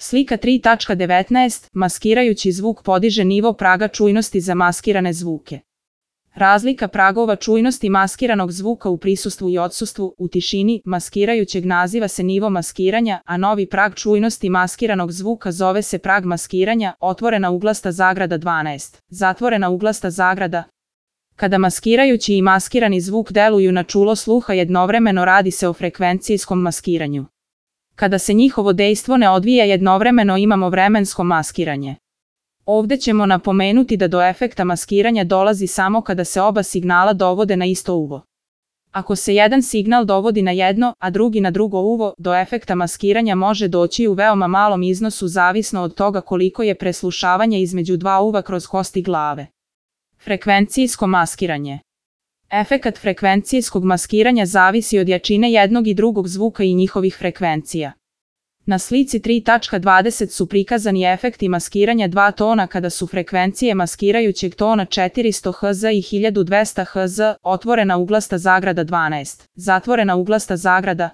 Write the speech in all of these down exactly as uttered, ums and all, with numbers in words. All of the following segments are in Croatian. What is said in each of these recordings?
Slika tri tačka devetnaest. Maskirajući zvuk podiže nivo praga čujnosti za maskirane zvuke. Razlika pragova čujnosti maskiranog zvuka u prisustvu i odsustvu, u tišini, maskirajućeg naziva se nivo maskiranja, a novi prag čujnosti maskiranog zvuka zove se prag maskiranja, otvorena uglasta zagrada dvanaest, zatvorena uglasta zagrada. Kada maskirajući i maskirani zvuk deluju na čulo sluha jednovremeno, radi se o frekvencijskom maskiranju. Kada se njihovo dejstvo ne odvija jednovremeno, imamo vremensko maskiranje. Ovdje ćemo napomenuti da do efekta maskiranja dolazi samo kada se oba signala dovode na isto uvo. Ako se jedan signal dovodi na jedno, a drugi na drugo uvo, do efekta maskiranja može doći u veoma malom iznosu zavisno od toga koliko je preslušavanje između dva uva kroz kosti glave. Frekvencijsko maskiranje. Efekat frekvencijskog maskiranja zavisi od jačine jednog i drugog zvuka i njihovih frekvencija. Na slici tri tačka dvadeset su prikazani efekti maskiranja dva tona kada su frekvencije maskirajućeg tona četiristo hertz i hiljadu dvesta hertz, otvorena uglasta zagrada dvanaest, zatvorena uglasta zagrada.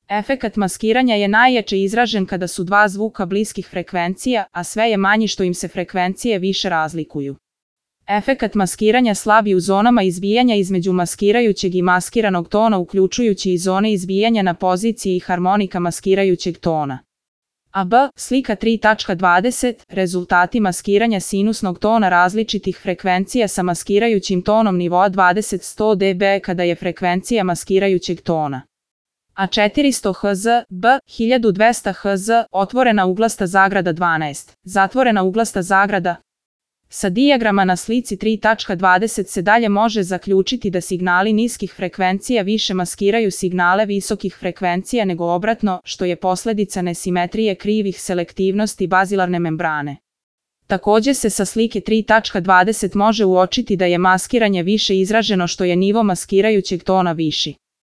Efekat maskiranja je najjače izražen kada su dva zvuka bliskih frekvencija, a sve je manji što im se frekvencije više razlikuju. Efekat maskiranja slabi u zonama izbijanja između maskirajućeg i maskiranog tona, uključujući i zone izbijanja na poziciji harmonika maskirajućeg tona. A B. Slika tri tačka dvadeset. Rezultati maskiranja sinusnog tona različitih frekvencija sa maskirajućim tonom nivoa dvadeset do sto decibela kada je frekvencija maskirajućeg tona A četiristo hertz, B. hiljadu dvesta hertz, otvorena uglasta zagrada dvanaest, zatvorena uglasta zagrada. Sa dijagrama na slici tri tačka dvadeset se dalje može zaključiti da signali niskih frekvencija više maskiraju signale visokih frekvencija nego obratno, što je posljedica nesimetrije krivih selektivnosti bazilarne membrane. Također se sa slike tri tačka dvadeset može uočiti da je maskiranje više izraženo što je nivo maskirajućeg tona viši.